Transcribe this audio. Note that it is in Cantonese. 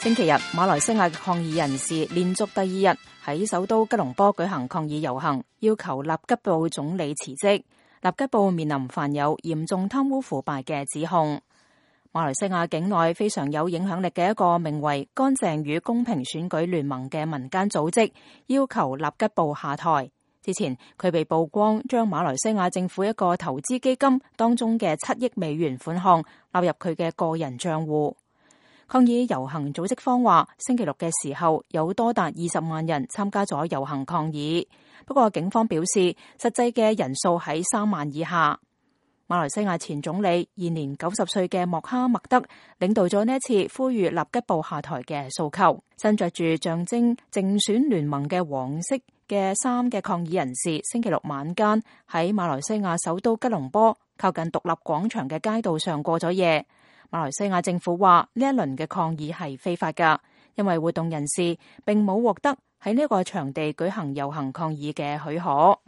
星期日，馬來西亞抗議人士連續第二日喺首都吉隆坡舉行抗議遊行，要求納吉布總理辭職。納吉布面臨犯有嚴重貪污腐敗嘅指控。馬來西亞境內非常有影響力嘅一個名為乾淨與公平選舉聯盟嘅民間組織，要求納吉布下台。之前佢被曝光將馬來西亞政府一個投資基金當中嘅7億美元款項納入佢嘅個人賬戶。抗議遊行組織方話，星期六嘅時候有多達20萬人參加咗遊行抗議，不過警方表示實際嘅人數喺3萬以下。馬來西亞前總理現年90歲嘅莫哈默德領導咗呢一次呼籲納吉布下台嘅訴求。身着住象徵競選聯盟嘅黃色嘅衫嘅抗議人士，星期六晚間喺馬來西亞首都吉隆坡靠近獨立廣場嘅街道上過咗夜。馬來西亞政府話呢一輪嘅抗議係非法㗎，因為活動人士並冇獲得喺呢個場地舉行遊行抗議嘅許可。